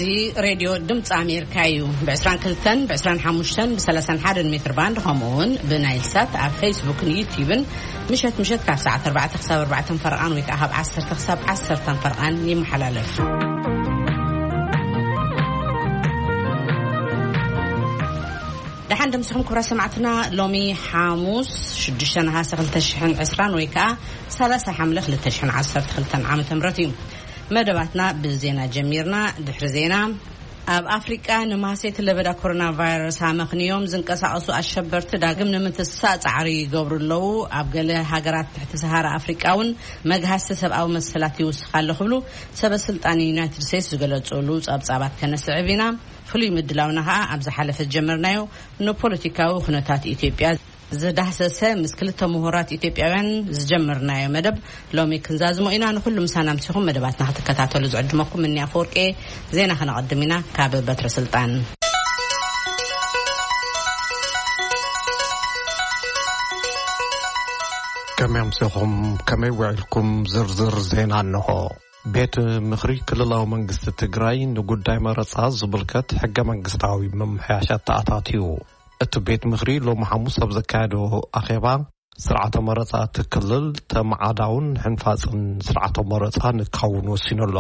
እዚ ሬድዮ ድምፂ ኣሜሪካ እዩ። ብ22፣ ብ25፣ ብ31 ሜትር ባንድ፣ ከምኡ እውን ብናይል ሳት ኣብ ፌስቡክን ዩቲዩብን ምሸት ምሸት ካብ ሰዓት ኣርባዕተ ክሳብ ኣርባዕተ ፈርቓን ወይ ከዓ ካብ ዓሰርተ ክሳብ ዓሰርተ ፈርቓን ይመሓላለፍ። ደሓን ደምስኹም ክቡራት ሰማዕትና። ሎሚ ሓሙስ ሽዱሽተ ነሓሰ ክልተ ሽሕን ዕስራን ወይ ከዓ ሰላሳ ሓምለ ክልተ ሽሕን ዓሰርተ ክልተን ዓመተ ምህረት እዩ። መደባትና ብዜና ጀሚርና። ድሕሪ ዜና፣ ኣብ ኣፍሪቃ ንማህሰይቲ ለበዳ ኮሮና ቫይረስ ኣመኽንዮም ዝንቀሳቐሱ ኣሸበርቲ ዳግም ንምትሳእ ጻዕሪ ይገብሩ ኣለዉ። ኣብ ገለ ሃገራት ትሕቲ ሰሃራ ኣፍሪቃ እውን መግሃስቲ ሰብኣዊ መሰላት ይውስኽ ኣሎ ክብሉ ሰበ ስልጣን ዩናይትድ ስቴትስ ዝገለጹሉ ጸብጻባት ከነስዕብ ኢና። ፍሉይ ምድላውና ኸኣ ኣብ ዝሓለፈ ዝጀመርናዮ ንፖለቲካዊ ኩነታት ኢትዮጵያ ዝዳህሰሰ ምስ ክልተ ምሁራት ኢትዮጵያውያን ዝጀመርናዮ መደብ ሎሚ ክንዛዝሞ ኢና። ንኹሉ ምሳና ምሲኹም መደባትና ክትከታተሉ ዝዕድመኩም እኒ ኣፈወርቄ። ዜና ከነቐድም ኢና ካብ በትረ ስልጣን። ከመይ ኣምሲኹም? ከመይ ውዒልኩም? ዝርዝር ዜና እንሆ። ቤት ምኽሪ ክልላዊ መንግስቲ ትግራይ ንጉዳይ መረፃ ዝምልከት ሕገ መንግስታዊ ምምሕያሻት ተኣታትዩ። እቲ ቤት ምኽሪ ሎሚ ሓሙስ ኣብ ዘካየዶ ኣኼባ፣ ስርዓተ መረፃ እቲ ክልል ተመዓዳውን ሕንፋፅን ስርዓተ መረፃ ንካውን ወሲኑ ኣሎ።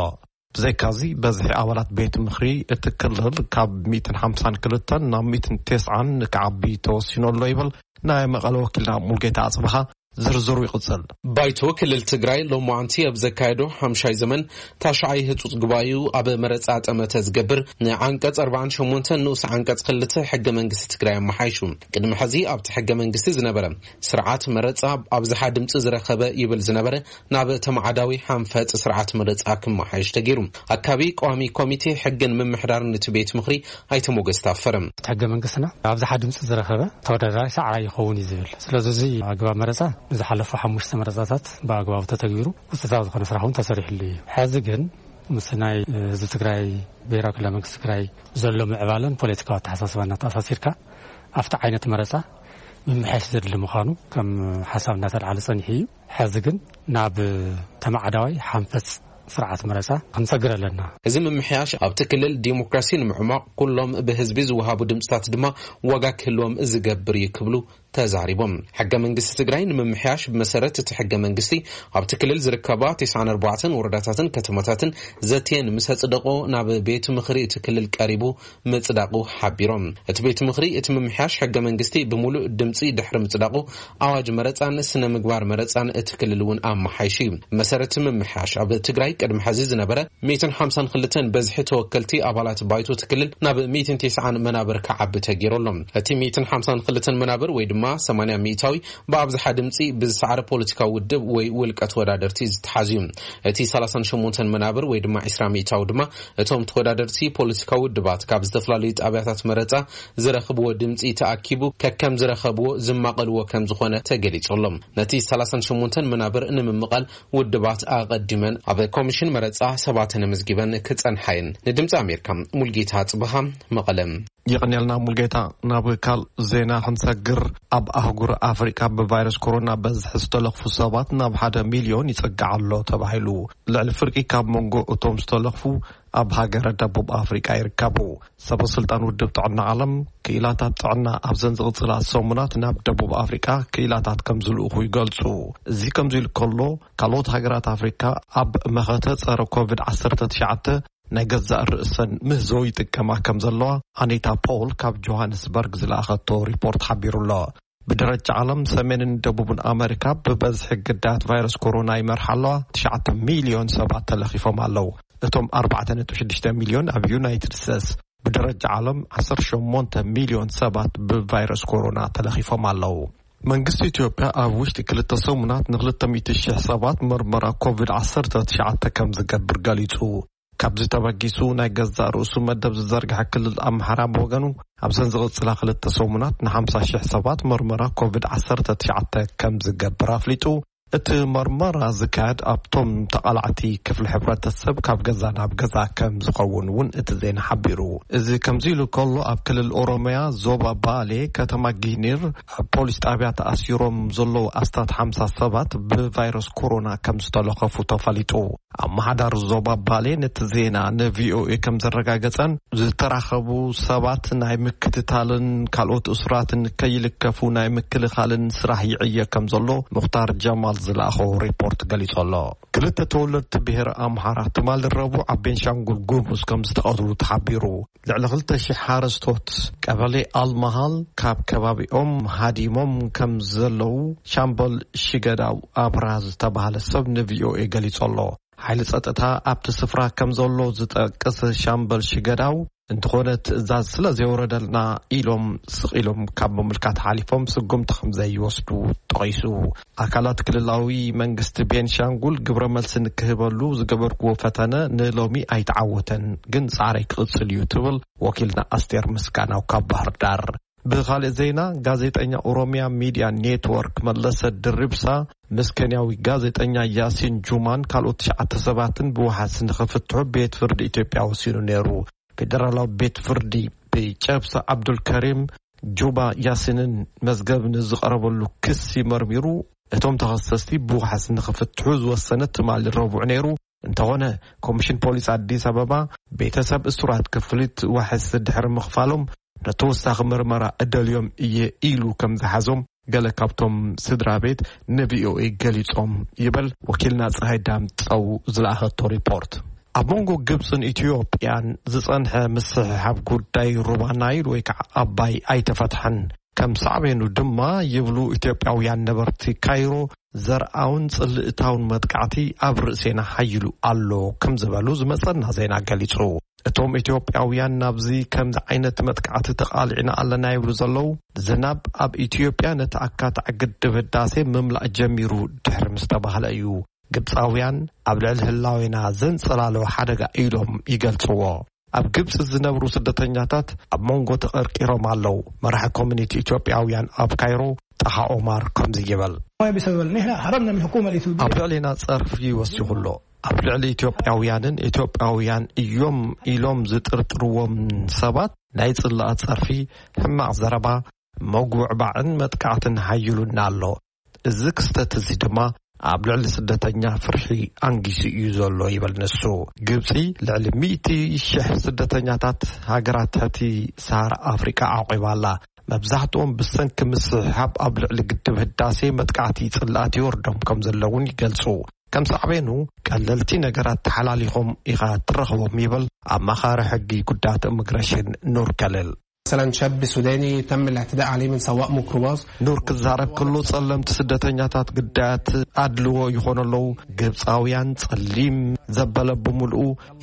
ብዘይካዚ፣ በዝሒ ኣባላት ቤት ምኽሪ እቲ ክልል ካብ ሚእትን ሓምሳን ክልተን ናብ ሚእትን ተስዓን ክዓቢ ተወሲኑ ኣሎ ይብል ናይ መቐለ ወኪልና ሙልጌታ ኣጽብሃ። ዝርዝሩ ይቕጽል። ባይቶ ክልል ትግራይ ሎማዓንቲ ኣብ ዘካየዶ ሓምሻይ ዘመን ታሽዓይ ህጹጽ ጉባኤኡ ኣብ መረጻ ጠመተ ዝገብር ንዓንቀጽ ኣርባዓን ሸሞንተን ንኡስ ዓንቀጽ ክልተ ሕገ መንግስቲ ትግራይ ኣመሓይሹ። ቅድሚ ሕዚ ኣብቲ ሕገ መንግስቲ ዝነበረ ስርዓት መረጻ ኣብዝሓ ድምጺ ዝረኸበ ይብል ዝነበረ ናብ ተማዓዳዊ ሓንፈጽ ስርዓት መረጻ ክመሓየሽ ተገይሩ። ኣካቢ ቀዋሚ ኮሚቴ ሕግን ምምሕዳርን እቲ ቤት ምኽሪ ኣይተ ሞገስ ታፈረ። እቲ ሕገ መንግስትና ኣብዝሓ ድምፂ ዝረኸበ ተወዳዳሪ ሰዓራይ ይኸውን እዩ ዝብል። ስለዚ፣ እዚ ኣግባብ መረፃ ንዝሓለፉ ሓሙሽተ መረፃታት ብኣግባቡ ተተግቢሩ ውፅኢታዊ ዝኾነ ስራሕ እውን ተሰሪሕሉ እዩ። ሕዚ ግን ምስ ናይ ህዝቢ ትግራይ፣ ብሄራዊ ክልላዊ መንግስቲ ትግራይ ዘሎ ምዕባለን ፖለቲካዊ ኣተሓሳስባ እናተኣሳሲርካ ኣብቲ ዓይነት መረፃ ምምሕያሽ ዘድሊ ምዃኑ ከም ሓሳብ እናተልዓለ ጸኒሑ እዩ። ሕዚ ግን ናብ ተማዓዳዋይ ሓንፈጽ ስርዓት መረጻ ክንሰግር ኣለና። እዚ ምምሕያሽ ኣብቲ ክልል ዲሞክራሲ ንምዕሟቕ፣ ኩሎም ብህዝቢ ዝወሃቡ ድምፅታት ድማ ዋጋ ክህልዎም ዝገብር እዩ ክብሉ ተዛሪቦም። ሕገ መንግስቲ ትግራይ ንምምሕያሽ ብመሰረት እቲ ሕገ መንግስቲ ኣብቲ ክልል ዝርከባ ተስዓን ኣርባዕተን ወረዳታትን ከተማታትን ዘትየን ምስ ኣጽደቆ ናብ ቤት ምኽሪ እቲ ክልል ቀሪቡ ምጽዳቑ ሓቢሮም። እቲ ቤት ምኽሪ እቲ ምምሕያሽ ሕገ መንግስቲ ብምሉእ ድምጺ ድሕሪ ምጽዳቑ ኣዋጅ መረጻን ስነ ምግባር መረጻን እቲ ክልል እውን ኣመሓይሹ እዩ። መሰረት ምምሕያሽ ኣብ ትግራይ ቅድሚ ሕዚ ዝነበረ ሚእትን ሓምሳን ክልተን በዝሒ ተወከልቲ ኣባላት ባይቶ እቲ ክልል ናብ ሚእትን ተስዓን መናብር ክዓቢ ተገይሩ ኣሎ። እቲ ሚእትን ሓምሳን ክልተን መናብር ወይ ድማ ሰማንያ ሚእታዊ ብኣብዝሓ ድምጺ ብዝሰዓረ ፖለቲካዊ ውድብ ወይ ውልቀ ተወዳደርቲ ዝተሓዝ እዩ። እቲ ሰላሳን ሸሞንተን መናብር ወይ ድማ ዕስራ ሚእታዊ ድማ እቶም ተወዳደርቲ ፖለቲካዊ ውድባት ካብ ዝተፈላለዩ ጣብያታት መረጻ ዝረኽብዎ ድምጺ ተኣኪቡ ከከም ዝረኸብዎ ዝማቐልዎ ከም ዝኾነ ተገሊጹ ኣሎ። ነቲ ሰላሳን ሸሞንተን መናብር ንምምቓል ውድባት ኣቐዲመን ኣብ ኮሚሽን መረጻ ሰባተን ኣመዝጊበን ክጸንሓ እየን። ንድምጺ ኣሜሪካ፣ ሙልጌታ ጽብሃ፣ መቐለ። የቐንየልና ሙልጌታ። ናብ ካልእ ዜና ክንሰግር፣ ኣብ ኣህጉር ኣፍሪቃ ብቫይረስ ኮሮና በዝሒ ዝተለኽፉ ሰባት ናብ ሓደ ሚልዮን ይጸግዕ ኣሎ ተባሂሉ። ልዕሊ ፍርቂ ካብ መንጎ እቶም ዝተለኽፉ ኣብ ሃገረ ደቡብ ኣፍሪቃ ይርከቡ። ሰበ ስልጣን ውድብ ጥዕና ዓለም፣ ክኢላታት ጥዕና ኣብዘን ዝቕጽላ ሰሙናት ናብ ደቡብ ኣፍሪቃ ክኢላታት ከም ዝልእኹ ይገልጹ። እዚ ከምዚ ኢሉ ከሎ፣ ካልኦት ሃገራት ኣፍሪቃ ኣብ መኸተ ጸረ ኮቪድ ዓሰርተ ትሽዓተ ናይ ገዛእ ርእሰን ምህዞ ይጥቀማ ከም ዘለዋ ኣኒታ ፖውል ካብ ጆሃንስበርግ ዝለኣኸቶ ሪፖርት ሓቢሩ ኣሎ። ብደረጃ ዓለም፣ ሰሜንን ደቡብን ኣመሪካ ብበዝሒ ግዳያት ቫይረስ ኮሮና ይመርሓ ኣለዋ። ትሽዓተ ሚልዮን ሰባት ተለኺፎም ኣለዉ። እቶም ኣርባዕተ ነጥቢ ሽዱሽተ ሚልዮን ኣብ ዩናይትድ ስቴትስ። ብደረጃ ዓለም፣ ዓሰርተ ሸሞንተ ሚልዮን ሰባት ብቫይረስ ኮሮና ተለኺፎም ኣለዉ። መንግስቲ ኢትዮጵያ ኣብ ውሽጢ ክልተ ሰሙናት ንክልተ ሚእቲ ሽሕ ሰባት መርመራ ኮቪድ ዓሰርተ ትሽዓተ ከም ዝገብር ገሊጹ። ካብዚ ተበጊሱ፣ ናይ ገዛእ ርእሱ መደብ ዝዘርግሐ ክልል ኣምሓራ ብወገኑ፣ ኣብዘን ዝቕጽላ ክልተ ሰሙናት ንሓምሳ ሽሕ ሰባት መርመራ ኮቪድ ዓሰርተ ትሽዓተ ከም ዝገብር ኣፍሊጡ። እቲ መርመራ ዝካየድ ኣብቶም ተቓላዕቲ ክፍሊ ሕብረተሰብ ካብ ገዛ ናብ ገዛ ከም ዝኸውን እውን እቲ ዜና ሓቢሩ። እዚ ከምዚ ኢሉ ከሎ፣ ኣብ ክልል ኦሮሚያ ዞባ ባሌ ከተማ ጊኒር ኣብ ፖሊስ ጣብያ ተኣሲሮም ዘለዉ ኣስታት ሓምሳ ሰባት ብቫይረስ ኮሮና ከም ዝተለኸፉ ተፈሊጡ። ኣመሓዳሪ ዞባ ባሌ ነቲ ዜና ንቪኦኤ ከም ዘረጋገጸን፣ ዝተራኸቡ ሰባት ናይ ምክትታልን ካልኦት እሱራትን ከይልከፉ ናይ ምክልኻልን ስራሕ ይዕየ ከም ዘሎ ሙኽታር ጀማል ዝለኣኾ ሪፖርት ገሊጹ ኣሎ። ክልተ ተወለድቲ ብሔር ኣምሓራ ትማሊ ረቡዕ ኣብ ቤንሻንጉል ጉሙዝ ከም ዝተቐትሉ ተሓቢሩ። ልዕሊ ክልተ ሽሕ ሓረስቶት ቀበሌ ኣልመሃል ካብ ከባቢኦም ሃዲሞም ከም ዘለዉ ሻምበል ሽገዳው ኣብርሃ ዝተባህለ ሰብ ንቪኦኤ ገሊጹ ኣሎ። ሓይሊ ጸጥታ ኣብቲ ስፍራ ከም ዘሎ ዝጠቅስ ሻምበል ሽገዳው፣ እንተኾነ ትእዛዝ ስለ ዘይወረደልና ኢሎም ስቕ ኢሎም ካብ ምምልካት ሓሊፎም ስጉምቲ ከም ዘይወስዱ ጠቒሱ። ኣካላት ክልላዊ መንግስቲ ቤንሻንጉል ግብረ መልሲ ንክህበሉ ዝገበርኩዎ ፈተነ ንሎሚ ኣይተዓወተን፣ ግን ጻዕረይ ክቕጽል እዩ ትብል ወኪልና ኣስቴር ምስጋናው ካብ ባህር ዳር። ብኻልእ ዜና፣ ጋዜጠኛ ኦሮሚያ ሚድያ ኔትወርክ መለሰ ድሪብሳ ምስ ኬንያዊ ጋዜጠኛ ያሲን ጁማን ካልኦት ትሽዓተ ሰባትን ብዋሕስ ንኽፍትሑ ቤት ፍርዲ ኢትዮጵያ ወሲኑ ነይሩ። ፌደራላዊ ቤት ፍርዲ ብጨብሳ ዓብዱልከሪም ጁባ ያሲንን መዝገብ ንዝቐረበሉ ክሲ መርሚሩ፣ እቶም ተኸሰስቲ ብዋሕስ ንኽፍትሑ ዝወሰነ ትማሊ ረቡዕ ነይሩ። እንተኾነ፣ ኮሚሽን ፖሊስ ኣዲስ ኣበባ ቤተሰብ እሱራት ክፍሊት ዋሕስ ድሕሪ ምኽፋሎም፣ ንተወሳኺ ምርመራ እደልዮም እየ ኢሉ ከም ዝሓዞም ገለ ካብቶም ስድራ ቤት ንቪኦኤ ገሊጾም ይብል ወኪልና ፀሃይ ዳምፀው ዝለኣኸቶ ሪፖርት። ኣብ መንጎ ግብፅን ኢትዮጵያን ዝፀንሐ ምስሕሓብ ጉዳይ ሩባ ናይል ወይ ከዓ ኣባይ ኣይተፈትሐን። ከም ሳዕቤኑ ድማ ይብሉ ኢትዮጵያውያን ነበርቲ ካይሮ፣ ዘርኣውን ጽልእታውን መጥቃዕቲ ኣብ ርእሴና ሓይሉ ኣሎ ከም ዝበሉ ዝመጸና ዜና ገሊጹ። እቶም ኢትዮጵያውያን ናብዚ ከምዚ ዓይነት መጥቃዕቲ ተቓሊዕና ኣለና ይብሉ ዘለዉ፣ ዝናብ ኣብ ኢትዮጵያ ነቲ ኣካታዒ ግድብ ህዳሴ ምምላእ ጀሚሩ ድሕሪ ምስ ተባህለ እዩ። ግብጻውያን ኣብ ልዕሊ ህላዌና ዘንጸላለወ ሓደጋ ኢሎም ይገልጽዎ። ኣብ ግብጺ ዝነብሩ ስደተኛታት ኣብ መንጎ ተቐርቂሮም ኣለዉ። መራሒ ኮሚኒቲ ኢትዮጵያውያን ኣብ ካይሮ ጣሃ ኦማር ከምዚ ይብል። ما بسبب نحن هربنا من الحكومة الإثيوبية. ኣብ ልዕሊና ጸርፊ ወሲኹ ኣሎ። ኣብ ልዕሊ ኢትዮጵያውያንን ኢትዮጵያውያን እዮም ኢሎም ዝጥርጥርዎም ሰባት ናይ ጽላኣት ጸርፊ፣ ሕማቕ ዘረባ፣ መጉዕባዕን መጥቃዕትን ሓይሉና ኣሎ። እዚ ክስተት እዚ ድማ ኣብ ልዕሊ ስደተኛ ፍርሒ ኣንጊሱ እዩ ዘሎ ይብል ንሱ። ግብጺ ልዕሊ ሚእቲ ሽሕ ስደተኛታት ሃገራት ትሕቲ ሰሃራ ኣፍሪቃ ኣዕቂባ ኣላ። መብዛሕትኦም ብሰንኪ ምስሕሓብ ኣብ ልዕሊ ግድብ ህዳሴ መጥቃዕቲ ጽላኣት ይወርዶም ከም ዘለውን ይገልጹ። ከም ሳዕቤኑ ቀለልቲ ነገራት ተሓላሊኾም ኢኻ ትረኽቦም ይብል ኣማኻሪ ሕጊ ጉዳያት ኢሚግሬሽን ኑር ከልል። مثلا شاب سوداني تم الاعتداء عليه من سواق ميكروباص. ኑር ክዛረብ ከሎ ጸለምቲ ስደተኛታት ግዳያት ኣድልዎ ይኾኑ ኣለዉ። ግብጻውያን ጸሊም ዘበለ ብምልኡ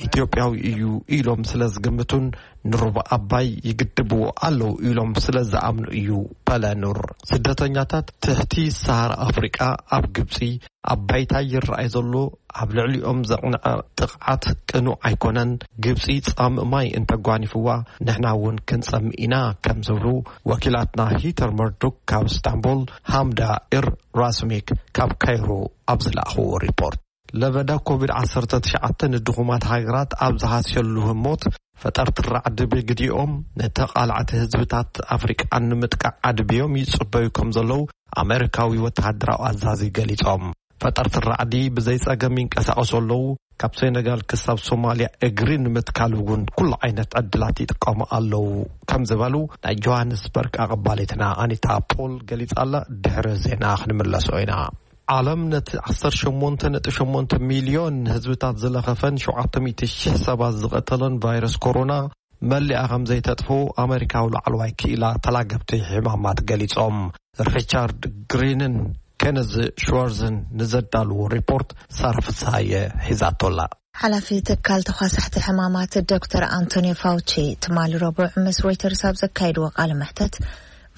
ኢትዮጵያዊ እዩ ኢሎም ስለ ዝግምቱን ንሩባ ኣባይ ይግድብዎ ኣለዉ ኢሎም ስለ ዝኣምኑ እዩ በለ ኑር። ስደተኛታት ትሕቲ ሰሃራ ኣፍሪቃ ኣብ ግብጺ ኣብ ባይታ ይረኣይ ዘሎ ኣብ ልዕሊኦም ዘቕንዐ ጥቕዓት ቅኑዕ ኣይኮነን። ግብጺ ጻምእ ማይ እንተጓኒፍዋ ንሕና እውን ክንጸምእ ኢና ከም ዝብሉ ወኪላትና ሂተር መርዱክ ካብ እስታንቡል፣ ሃምዳ ኢር ራስሚክ ካብ ካይሮ ኣብ ዝለኣኽዎ ሪፖርት። ለበዳ ኮቪድ ዓሰርተ ትሽዓተ ንድኹማት ሃገራት ኣብ ዝሃስየሉ ህሞት፣ ፈጠርቲ ራዕዲ ብግዲኦም ንተቓላዕቲ ህዝብታት ኣፍሪቃ ንምጥቃዕ ኣድብዮም ይጽበዩ ከም ዘለዉ ኣሜሪካዊ ወተሃደራዊ ኣዛዚ ገሊጾም። ፈጠርቲ ራዕዲ ብዘይ ጸገም ይንቀሳቐሱ ኣለዉ። ካብ ሴነጋል ክሳብ ሶማልያ እግሪ ንምትካል እውን ኩሉ ዓይነት ዕድላት ይጥቀሙ ኣለዉ ከም ዝበሉ ናይ ጆሃንስበርግ ኣቐባሊትና ኣኒታ ፖል ገሊጻ ኣላ። ድሕሪ ዜና ክንምለሶ ኢና። ዓለም ነቲ ዓሰርተ ሸሞንተ ነጥቢ ሸሞንተ ሚልዮን ህዝብታት ዝለኸፈን ሸውዓተ ሚእቲ ሽሕ ሰባት ዝቐተለን ቫይረስ ኮሮና መሊኣ ከም ዘይተጥፍኡ ኣመሪካዊ ላዕለዋይ ክኢላ ተላገብቲ ሕማማት ገሊጾም። ሪቻርድ ግሪንን ኬነዝ ሽዋርዝን ንዘዳልዎ ሪፖርት ሳራ ፍስሃየ ሒዛቶላ። ሓላፊ ትካል ተኳሳሕቲ ሕማማት ዶክተር ኣንቶኒዮ ፋውቺ ትማሊ ረቡዕ ምስ ሮይተርስ ኣብ ዘካየድዎ ቃለ መሕተት፣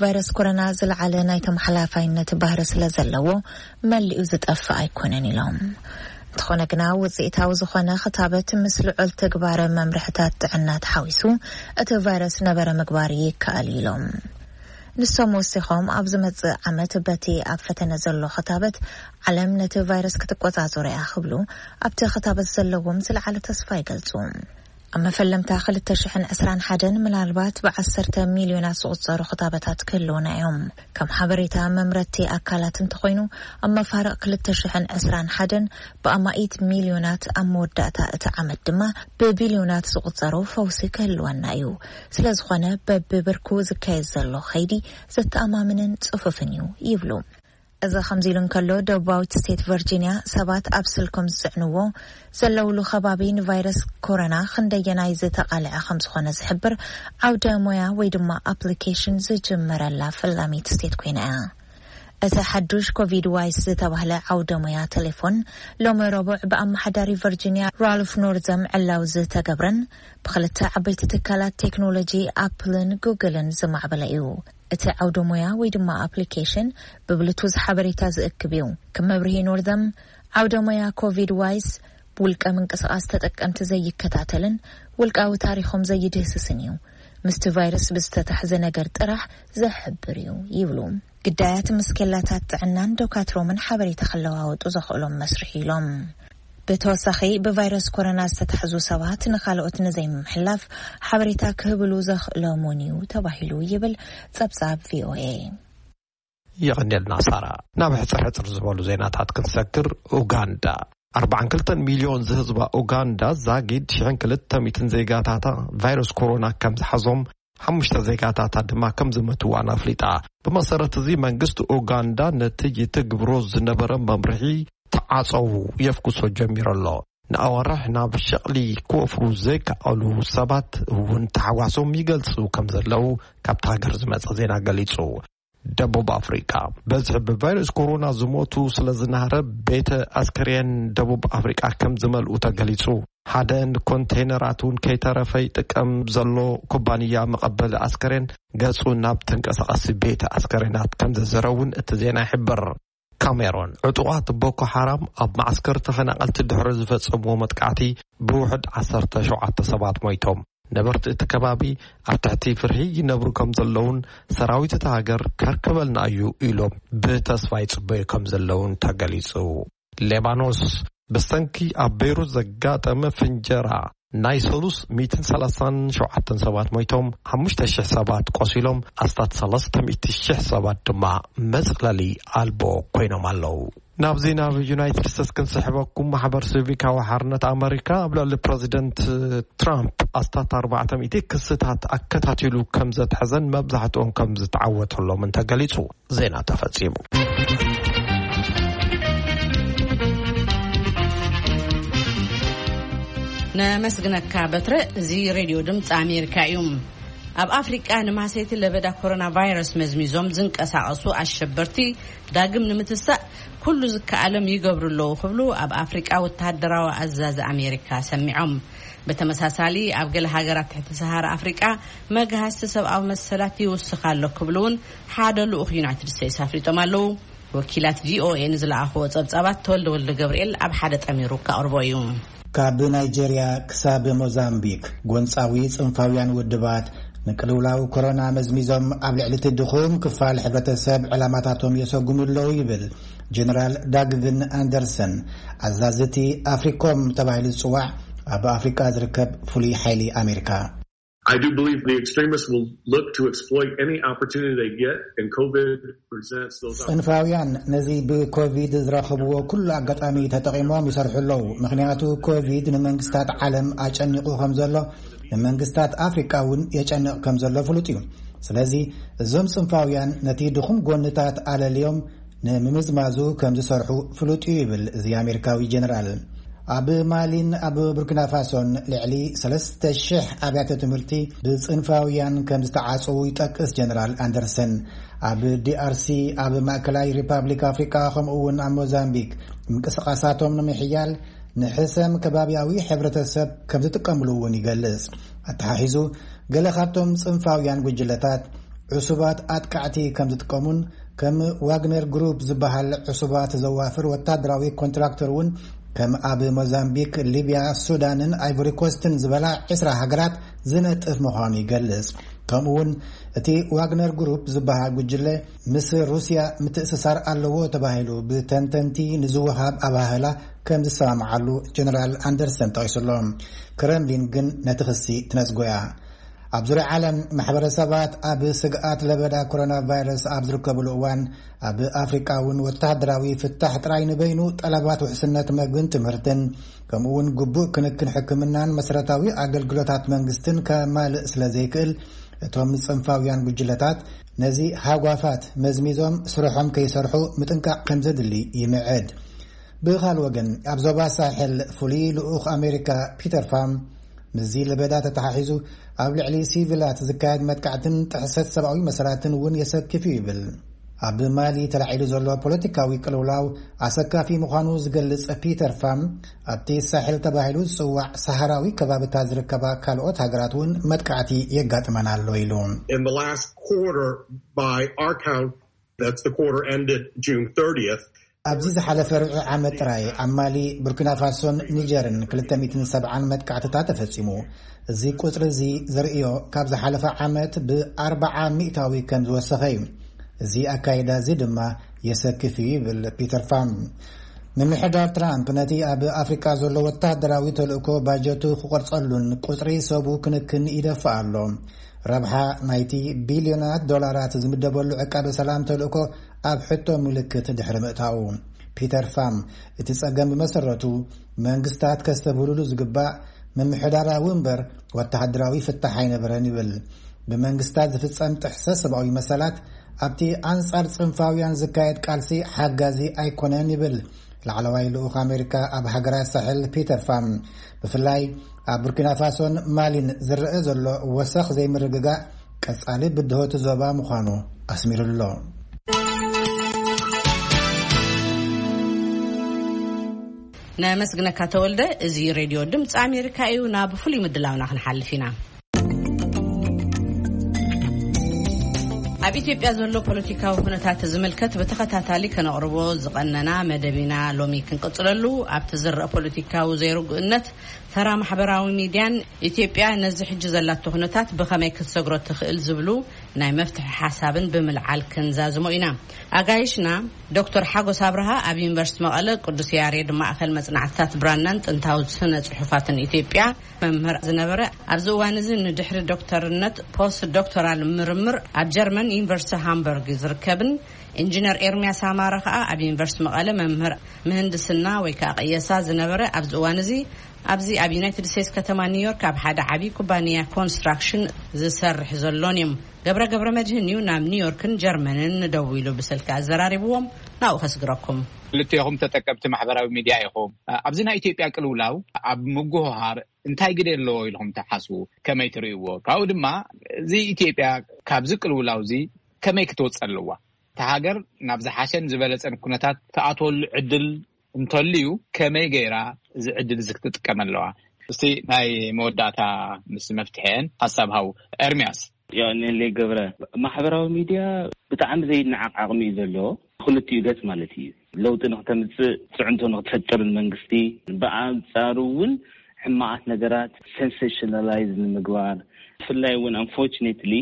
ቫይረስ ኮሮና ዝለዓለ ናይ ተመሓላፋይነት ባህሪ ስለ ዘለዎ መሊኡ ዝጠፍእ ኣይኮነን ኢሎም። እንተኾነ ግና ውፅኢታዊ ዝኾነ ክታበት ምስ ልዑል ትግባረ መምርሕታት ጥዕና ተሓዊሱ እቲ ቫይረስ ነበረ ምግባር ይከኣል ኢሎም። ንሶም ወሲኾም፣ ኣብ ዝመጽእ ዓመት በቲ ኣብ ፈተነ ዘሎ ክታበት፣ ዓለም ነቲ ቫይረስ ክትቆጻጸሮ እያ ክብሉ ኣብቲ ክታበት ዘለዎም ዝለዓለ ተስፋ ይገልጹ። ኣብ መፈለምታ ክልተ ሽሕን ዕስራን ሓደን ምናልባት ብዓሰርተ ሚልዮናት ዝቑጸሩ ክታበታት ክህልውና እዮም። ከም ሓበሬታ መምረቲ ኣካላት እንተኾይኑ፣ ኣብ መፋርቕ ክልተ ሽሕን ዕስራን ሓደን ብኣማኢት ሚልዮናት፣ ኣብ መወዳእታ እቲ ዓመት ድማ ብቢልዮናት ዝቑጸሩ ፈውሲ ክህልወና እዩ። ስለ ዝኾነ፣ በብብርኩ ዝካየድ ዘሎ ኸይዲ ዘተኣማምንን ጽፉፍን እዩ ይብሉ። እዚ ከምዚ ኢሉ እንከሎ፣ ደቡባዊት ስቴት ቨርጂንያ ሰባት ኣብ ስልኮም ዝጽዕንዎ ዘለውሉ ከባቢ ንቫይረስ ኮሮና ክንደየናይ ዝተቓልዐ ከም ዝኾነ ዝሕብር ዓውደ ሞያ ወይ ድማ ኣፕሊኬሽን ዝጅመረላ ፈላሚት ስቴት ኮይና እያ። እቲ ሓዱሽ ኮቪድ ዋይስ ዝተባህለ ዓውደ ሞያ ቴሌፎን፣ ሎሚ ረቡዕ ብኣመሓዳሪ ቨርጂንያ ራልፍ ኖርዘም ዕላው ዝተገብረን ብክልተ ዓበይቲ ትካላት ቴክኖሎጂ ኣፕልን ጉግልን ዝማዕበለ እዩ። እቲ ዓውደ ሞያ ወይ ድማ ኣፕሊኬሽን ብብሉቱዝ ሓበሬታ ዝእክብ እዩ። ከም መብርሂ ኖርዘም፣ ዓውደ ሞያ ኮቪድ ዋይስ ብውልቀ ምንቅስቓስ ተጠቀምቲ ዘይከታተልን ውልቃዊ ታሪኾም ዘይድህስስን እዩ። ምስቲ ቫይረስ ብዝተታሕዘ ነገር ጥራሕ ዘሕብር እዩ ይብሉ። ግዳያት ምስ ኬላታት ጥዕናን ዶካትሮምን ሓበሬታ ክለዋወጡ ዘኽእሎም መስርሕ ኢሎም። ብተወሳኺ፣ ብቫይረስ ኮሮና ዝተታሕዙ ሰባት ንኻልኦት ንዘይምምሕላፍ ሓበሬታ ክህብሉ ዘኽእሎም እውን እዩ ተባሂሉ ይብል ጸብጻብ ቪኦኤ። የቐንየልና ሳራ። ናብ ሕጽር ሕጽር ዝበሉ ዜናታት ክንሰግር፣ ኡጋንዳ ኣርባዓን ክልተን ሚልዮን ዝህዝባ ኡጋንዳ ዛጊድ ሽሕን ክልተ ሚእትን ዜጋታታ ቫይረስ ኮሮና ከም ዝሓዞም፣ ሓሙሽተ ዜጋታታ ድማ ከም ዝመትዋን ኣፍሊጣ። ብመሰረት እዚ፣ መንግስቲ ኡጋንዳ ነቲ ይትግብሮ ዝነበረ መምርሒ ተዓጸው የፍኩሶ ጀሚሩ ኣሎ። ንኣዋርሕ ናብ ሸቕሊ ክወፍሩ ዘይከኣሉ ሰባት እውን ተሓዋሶም ይገልጹ ከም ዘለዉ ካብቲ ሃገር ዝመጸ ዜና ገሊጹ። ደቡብ ኣፍሪቃ፣ በዝሒ ብቫይረስ ኮሮና ዝሞቱ ስለ ዝናህረ፣ ቤተ ኣስከሬን ደቡብ ኣፍሪቃ ከም ዝመልኡ ተገሊጹ። ሓደ ኮንቴይነራት እውን ከይተረፈ ይጥቀም ዘሎ ኩባንያ መቐበሊ ኣስከሬን ገጹ ናብ ተንቀሳቐሲ ቤተ ኣስከሬናት ከም ዘዘረ እውን እቲ ዜና ይሕብር። ካሜሮን፣ ዕጡቓት ቦኮ ሓራም ኣብ መዓስከር ተፈናቐልቲ ድሕሪ ዝፈጸምዎ መጥቃዕቲ ብውሕድ ዓሰርተ ሸውዓተ ሰባት ሞይቶም። ነበርቲ እቲ ከባቢ ኣብ ትሕቲ ፍርሂ ይነብሩ ከም ዘለውን ሰራዊት እታ ሃገር ከርክበልና እዩ ኢሎም ብተስፋ ይጽበዩ ከም ዘለውን ተገሊጹ። ሌባኖስ፣ ብሰንኪ ኣብ ቤይሩት ዘጋጠመ ፍንጀራ ናይ ሰሉስ ሚእትን ሰላሳን ሸውዓተን ሰባት ሞይቶም፣ ሓሙሽተ ሽሕ ሰባት ቆሲሎም፣ ኣስታት ሰለስተ ሚእቲ ሽሕ ሰባት ድማ መጽለሊ ኣልቦ ኮይኖም ኣለዉ። ናብዚ ናብ ዩናይትድ ስቴትስ ክንስሕበኩም፣ ማሕበር ሲቪካዊ ሓርነት ኣመሪካ ኣብ ልዕሊ ፕረዚደንት ትራምፕ ኣስታት ኣርባዕተ ሚእቲ ክስታት ኣከታቲሉ ከም ዘትሐዘን መብዛሕትኦም ከም ዝተዓወተሎምን ተገሊጹ። ዜና ተፈጺሙ። ነመስግነካ በትረ። እዚ ሬድዮ ድምፂ ኣሜሪካ እዩ። ኣብ ኣፍሪቃ ንማህሰይቲ ለበዳ ኮሮና ቫይረስ መዝሚዞም ዝንቀሳቐሱ ኣሸበርቲ ዳግም ንምትሳእ ኩሉ ዝከኣሎም ይገብሩ ኣለዉ ክብሉ ኣብ ኣፍሪቃ ወተሃደራዊ ኣዛዚ ኣሜሪካ ሰሚዖም። ብተመሳሳሊ ኣብ ገለ ሃገራት ትሕቲ ሰሃራ ኣፍሪቃ መግሃስቲ ሰብኣዊ መሰላት ይውስኽ ኣሎ ክብሉ እውን ሓደ ልኡኽ ዩናይትድ ስቴትስ ኣፍሊጦም ኣለዉ። ወኪላት ቪኦኤ ንዝለኣኽዎ ጸብጻባት ተወልደ ወልደ ገብርኤል ኣብ ሓደ ጠሚሩ ከቕርቦ እዩ። ካብ ናይጄርያ ክሳብ ሞዛምቢክ፣ ጎንጻዊ ጽንፋውያን ውድባት ንቅልውላው ኮሮና መዝሚዞም ኣብ ልዕሊ እቲ ድኹም ክፋል ሕብረተሰብ ዕላማታቶም የሰጉሙ ኣለዉ ይብል ጀነራል ዳግቪን ኣንደርሰን፣ ኣዛዚ እቲ ኣፍሪኮም ተባሂሉ ዝጽዋዕ ኣብ ኣፍሪቃ ዝርከብ ፍሉይ ሓይሊ ኣሜሪካ። I do believe the extremists will look to exploit any opportunity they get, and COVID presents those opportunities. ጽንፋውያን ነዚ ብኮቪድ ዝረኸብዎ ኩሉ ኣጋጣሚ ተጠቒሞም ይሰርሑ ኣለዉ። ምኽንያቱ ኮቪድ ንመንግስታት ዓለም ኣጨኒቑ ከም ዘሎ፣ ንመንግስታት ኣፍሪቃ እውን የጨንቕ ከም ዘሎ ፍሉጥ እዩ። ስለዚ እዞም ጽንፋውያን ነቲ ድኹም ጎንታት ኣለልዮም ንምምዝማዙ ከም ዝሰርሑ ፍሉጥ እዩ ይብል እዚ ኣሜሪካዊ ጀነራል። ኣብ ማሊን ኣብ ቡርኪና ፋሶን ልዕሊ ሰለስተ ሽሕ ኣብያተ ትምህርቲ ብጽንፋውያን ከም ዝተዓጽዉ ይጠቅስ ጀነራል ኣንደርሰን። ኣብ ዲኣርሲ፣ ኣብ ማእከላይ ሪፓብሊክ ኣፍሪቃ፣ ከምኡ እውን ኣብ ሞዛምቢክ ምንቅስቓሳቶም ንምሕያል ንሕሰም ከባቢያዊ ሕብረተሰብ ከም ዝጥቀምሉ እውን ይገልጽ። ኣተሓሒዙ፣ ገለ ካብቶም ጽንፋውያን ጉጅለታት ዕሱባት ኣጥቃዕቲ ከም ዝጥቀሙን ከም ዋግነር ግሩፕ ዝበሃል ዕሱባት ዘዋፍር ወታደራዊ ኮንትራክተር እውን ከም ኣብ ሞዛምቢክ፣ ሊብያ፣ ሱዳንን ኣይቮሪ ኮስትን ዝበላ ዕስራ ሃገራት ዝነጥፍ ምዃኑ ይገልጽ። ከምኡ እውን እቲ ዋግነር ግሩፕ ዝበሃል ጉጅለ ምስ ሩስያ ምትእስሳር ኣለዎ ተባሂሉ ብተንተንቲ ንዝወሃብ ኣባህላ ከም ዝሰማምዓሉ ጀነራል ኣንደርሰን ጠቒሱሎ። ክረምሊን ግን ነቲ ክሲ ትነጽጎ እያ። ኣብ ዙርያ ዓለም ማሕበረሰባት ኣብ ስግኣት ለበዳ ኮሮና ቫይረስ ኣብ ዝርከብሉ እዋን፣ ኣብ ኣፍሪቃ እውን ወተሃደራዊ ፍታሕ ጥራይ ንበይኑ ጠለባት ውሕስነት መግብን ትምህርትን፣ ከምኡ እውን ግቡእ ክንክን ሕክምናን መሰረታዊ ኣገልግሎታት መንግስትን ከማልእ ስለ ዘይክእል፣ እቶም ጽንፋውያን ጉጅለታት ነዚ ሃጓፋት መዝሚዞም ስርሖም ከይሰርሑ ምጥንቃቕ ከም ዘድሊ ይምዕድ። ብኻል ወገን፣ ኣብ ዞባ ሳሕል ፍሉይ ልኡኽ ኣሜሪካ ፒተር ፋም፣ ምስዚ ለበዳ ተተሓሒዙ ኣብ ልዕሊ ሲቪላት ዝካየድ መጥቃዕትን ጥሕሰት ሰብኣዊ መሰላትን እውን የሰክፍ እዩ ይብል። ኣብ ማሊ ተላዒሉ ዘሎ ፖለቲካዊ ቅልውላው ኣሰካፊ ምዃኑ ዝገልጽ ፒተር ፋም፣ ኣብቲ ሳሕል ተባሂሉ ዝጽዋዕ ሰሃራዊ ከባብታት ዝርከባ ካልኦት ሃገራት እውን መጥቃዕቲ የጋጥመን ኣሎ ኢሉ። In the last quarter, by our count, that's the quarter ended June thirtieth. ኣብዚ ዝሓለፈ ርብዒ ዓመት ጥራይ ኣብ ማሊ፣ ቡርኪና ፋሶን ኒጀርን ክልተ ሚእትን ሰብዓን መጥቃዕትታት ተፈጺሙ። እዚ ቁጽሪ እዚ ዘርእዮ ካብ ዝሓለፈ ዓመት ብኣርብዓ ሚእታዊ ከም ዝወሰኸ እዩ። እዚ ኣካይዳ እዚ ድማ የሰክፍ እዩ ይብል ፒተር ፋም። ምምሕዳር ትራምፕ ነቲ ኣብ ኣፍሪቃ ዘሎ ወተሃደራዊ ተልእኮ ባጀቱ ክቆርጸሉን ቁጽሪ ሰቡ ክንክን ይደፍእ ኣሎ። ረብሓ ናይቲ ቢልዮናት ዶላራት ዝምደበሉ ዕቃበ ሰላም ተልእኮ ኣብ ሕቶ ምልክት ድሕሪ ምእታዉ፣ ፒተር ፋም፣ እቲ ጸገም ብመሰረቱ መንግስታት ከስተብህሉሉ ዝግባእ ምምሕዳራዊ እምበር ወተሃደራዊ ፍታሕ ኣይነበረን ይብል። ብመንግስታት ዝፍጸም ጥሕሰት ሰብኣዊ መሰላት ኣብቲ ኣንጻር ጽንፋውያን ዝካየድ ቃልሲ ሓጋዚ ኣይኮነን ይብል ላዕለዋይ ልኡኽ ኣሜሪካ ኣብ ሃገራት ሳሕል ፒተር ፋም። ብፍላይ ኣብ ቡርኪና ፋሶን ማሊን ዝረአ ዘሎ ወሰኽ ዘይምርግጋእ ቀጻሊ ብድሆቲ ዞባ ምዃኑ ኣስሚሩሎ። ነመስግነካ ተወልደ። እዚ ሬድዮ ድምፂ ኣሜሪካ እዩ። ናብ ፍሉይ ምድላውና ክንሓልፍ ኢና። ኣብ ኢትዮጵያ ዘሎ ፖለቲካዊ ኩነታት ዝምልከት ብተኸታታሊ ከነቕርቦ ዝቐነና መደብ ኢና ሎሚ ክንቅጽለሉ። ኣብቲ ዝረአ ፖለቲካዊ ዘይርጉእነት፣ ተራ ማሕበራዊ ሚድያን ኢትዮጵያ ነዚ ሕጂ ዘላቶ ኩነታት ብኸመይ ክትሰግሮ ትኽእል ዝብሉ ናይ መፍትሒ ሓሳብን ብምልዓል ክንዛዝሞ ኢና። ኣጋይሽና ዶክተር ሓጎስ ኣብርሃ ኣብ ዩኒቨርሲቲ መቐለ ቅዱስ ያሬድ ማእከል መጽናዕትታት ብራናን ጥንታዊ ስነ ጽሑፋትን ኢትዮጵያ መምህር ዝነበረ፣ ኣብዚ እዋን እዚ ንድሕሪ ዶክተርነት ፖስት ዶክተራል ምርምር ኣብ ጀርመን ዩኒቨርሲቲ ሃምበርግ ዝርከብን፣ ኢንጂነር ኤርሚያስ ኣማረ ከኣ ኣብ ዩኒቨርሲቲ መቐለ መምህር ምህንድስና ወይ ከኣ ቅየሳ ዝነበረ፣ ኣብዚ እዋን እዚ ኣብዚ ኣብ ዩናይትድ ስቴትስ ከተማ ኒውዮርክ ኣብ ሓደ ዓቢ ኩባንያ ኮንስትራክሽን ዝሰርሕ ዘሎን እዮም። ገብረ ገብረ መድህን እዩ ናብ ኒውዮርክን ጀርመንን ደዊሉ ብስልኪ ኣዘራሪብዎም። ናብኡ ከስግረኩም። ክልቴኹም ተጠቀምቲ ማሕበራዊ ሚድያ ኢኹም። ኣብዚ ናይ ኢትዮጵያ ቅልውላው ኣብ ምጉህሃር እንታይ ግደ ኣለዎ ኢልኹም ትሓስቡ? ከመይ ትርእይዎ? ካብኡ ድማ እዚ ኢትዮጵያ ካብዚ ቅልውላው እዚ ከመይ ክትወጽእ ኣለዋ? እታ ሃገር ናብ ዝሓሸን ዝበለጸን ኩነታት ትኣትወሉ ዕድል እንተልዩ ከመይ ገይራ እዚ ዕድል እዚ ክትጥቀም ኣለዋ? እስቲ ናይ መወዳእታ ምስ መፍትሒአን ሓሳብ ሃው ኤርሚያስ። ያኔሌ ገብረ፣ ማሕበራዊ ሚድያ ብጣዕሚ ዘይነዓቕ ዓቕሚ እዩ ዘለዎ። ክልቲኡ ገጽ ማለት እዩ። ለውጢ ንክተምጽእ፣ ጽዕንቶ ንክትፈጥር ንመንግስቲ፣ ብኣንጻሩ እውን ሕማቓት ነገራት ሴንሴሽናላይዝ ንምግባር፣ ብፍላይ እውን ኣንፎርችኔትሊ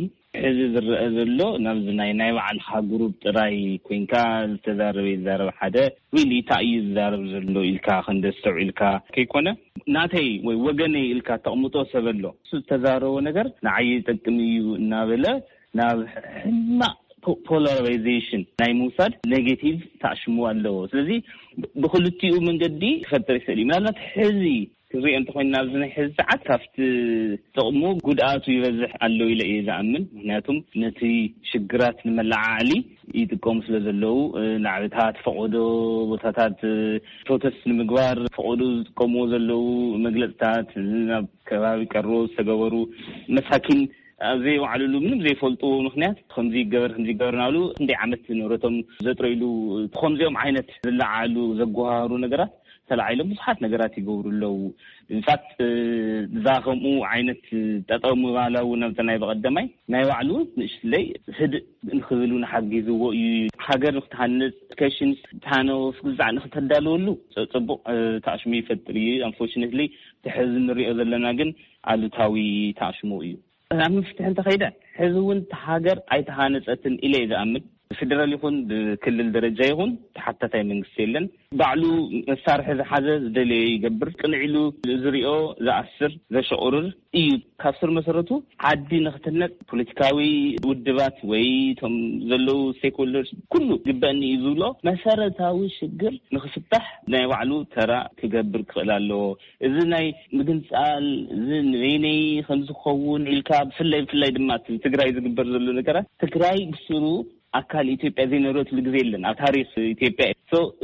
ሕዚ ዝረአ ዘሎ ናብዚ ናይ ናይ ባዕልኻ ግሩፕ ጥራይ ኮይንካ ዝተዛረበ ይዛረብ ሓደ፣ ሪሊ እንታይ እዩ ዝዛረብ ዘሎ ኢልካ ክንደስተውዒልካ ከይኮነ፣ ናተይ ወይ ወገነይ ኢልካ ተቕምጦ ሰብ ኣሎ። እሱ ዝተዛረቦ ነገር ንዓይ ይጠቅም እዩ እናበለ ናብ ሕማቕ ፖ- ፖላራይዜሽን ናይ ምውሳድ ኔጌቲቭ ተኣሽሙ ኣለዎ። ስለዚ ብክልቲኡ መንገዲ ክፈጥር ይኽእል እዩ። ምናልባት ሕዚ ክንሪኦ እንተኮይና ኣብዚ ናይ ሕዚ ሰዓት ካብቲ ጥቕሙ ጉድኣቱ ይበዝሕ ኣሎ ኢለ እየ ዝኣምን። ምክንያቱም ነቲ ሽግራት ንመለዓዕሊ ይጥቀሙ ስለ ዘለዉ፣ ናዕብታት፣ ፈቐዶ ቦታታት፣ ፕሮተስት ንምግባር ፈቐዶ ዝጥቀምዎ ዘለዉ መግለፅታት፣ ናብ ከባቢ ቀሮ ዝተገበሩ መሳኪን ኣብ ዘይወዓሉሉ ምንም ዘይፈልጥዎ ምክንያት ከምዚ ይገበር ከምዚ ይገበር እናብሉ ክንደይ ዓመት ንብረቶም ዘጥረይሉ ከምዚኦም ዓይነት ዝለዓሉ ዘጓሃሩ ነገራት ተላዒሎም ብዙሓት ነገራት ይገብሩ ኣለዉ። ኢንፋክት እዛ ከምኡ ዓይነት ጠጠው ምባላ እውን ኣብቲ ናይ በቐደማይ ናይ ባዕሉ ንእሽትለይ ህድእ ንክብል እውን ሓጊዝዎ እዩ። ሃገር ንክትሃንፅ፣ ኤዱኬሽን ታነወፍ ግዛዕ ንክተዳልወሉ ፅቡቅ ተኣሽሙ ይፈጥር እዩ። ኣንፎርችነትሊ እቲ ሕዚ ንሪኦ ዘለና ግን ኣሉታዊ ተኣሽሙ እዩ። ናብ ምፍትሒ እንተኸይደ፣ ሕዚ እውን እታ ሃገር ኣይተሃነፀትን ኢለ እየ ዝኣምን። ብፌደራል ይኹን ብክልል ደረጃ ይኹን ተሓታታይ መንግስቲ የለን። ባዕሉ መሳርሒ ዝሓዘ ዝደለዮ ይገብር፣ ቅንዕ ኢሉ ዝሪኦ ዝኣስር ዘሸቑርር እዩ። ካብ ስር መሰረቱ ዓዲ ንክትነፅ ፖለቲካዊ ውድባት ወይ እቶም ዘለዉ ስቴክሆልደርስ ኩሉ ግበእኒ እዩ ዝብሎ መሰረታዊ ሽግር ንክፍታሕ ናይ ባዕሉ ተራ ክገብር ክኽእል ኣለዎ። እዚ ናይ ምግንፃል፣ እዚ ንበይነይ ከም ዝኸውን ኢልካ፣ ብፍላይ ብፍላይ ድማ እቲ ትግራይ ዝግበር ዘሎ ነገራት፣ ትግራይ ብስሩ ኣካል ኢትዮጵያ ዘይነበረትሉ ግዜ የለን ኣብ ታሪክ ኢትዮጵያ።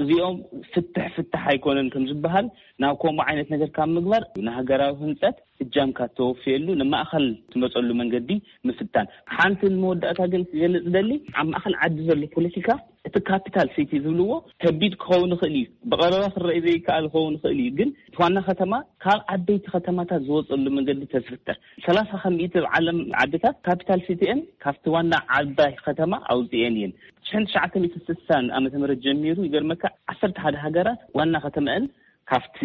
እዚኦም ፍትሕ ፍትሕ ኣይኮነን ከም ዝበሃል፣ ናብ ከምኡ ዓይነት ነገር ካብ ምግባር ንሃገራዊ ህንፀት እጃምካ ተወፍየሉ ንማእኸል ትመፀሉ መንገዲ ምፍታን። ሓንቲ ንመወዳእታ ግን ክገልፅ ደሊ፣ ኣብ ማእኸል ዓዲ ዘሎ ፖለቲካ እቲ ካፒታል ሲቲ ዝብልዎ ከቢድ ክኸውን ይኽእል እዩ፣ ብቐረባ ክረኣይ ዘይከኣል ክኸውን ይኽእል እዩ። ግን እቲ ዋና ከተማ ካብ ዓበይቲ ከተማታት ዝወፀሉ መንገዲ ተዝፍጠር፣ ሰላሳ ከሚእቲ ዓለም ዓድታት ካፒታል ሲቲአን ካብቲ ዋና ዓባይ ከተማ ኣውፅኤን እየን። ሽሕን ትሽዓተ ሚእትን ስሳን ዓመተ ምህረት ጀሚሩ ይገርመካ፣ ዓሰርተ ሓደ ሃገራት ዋና ከተማአን ካብቲ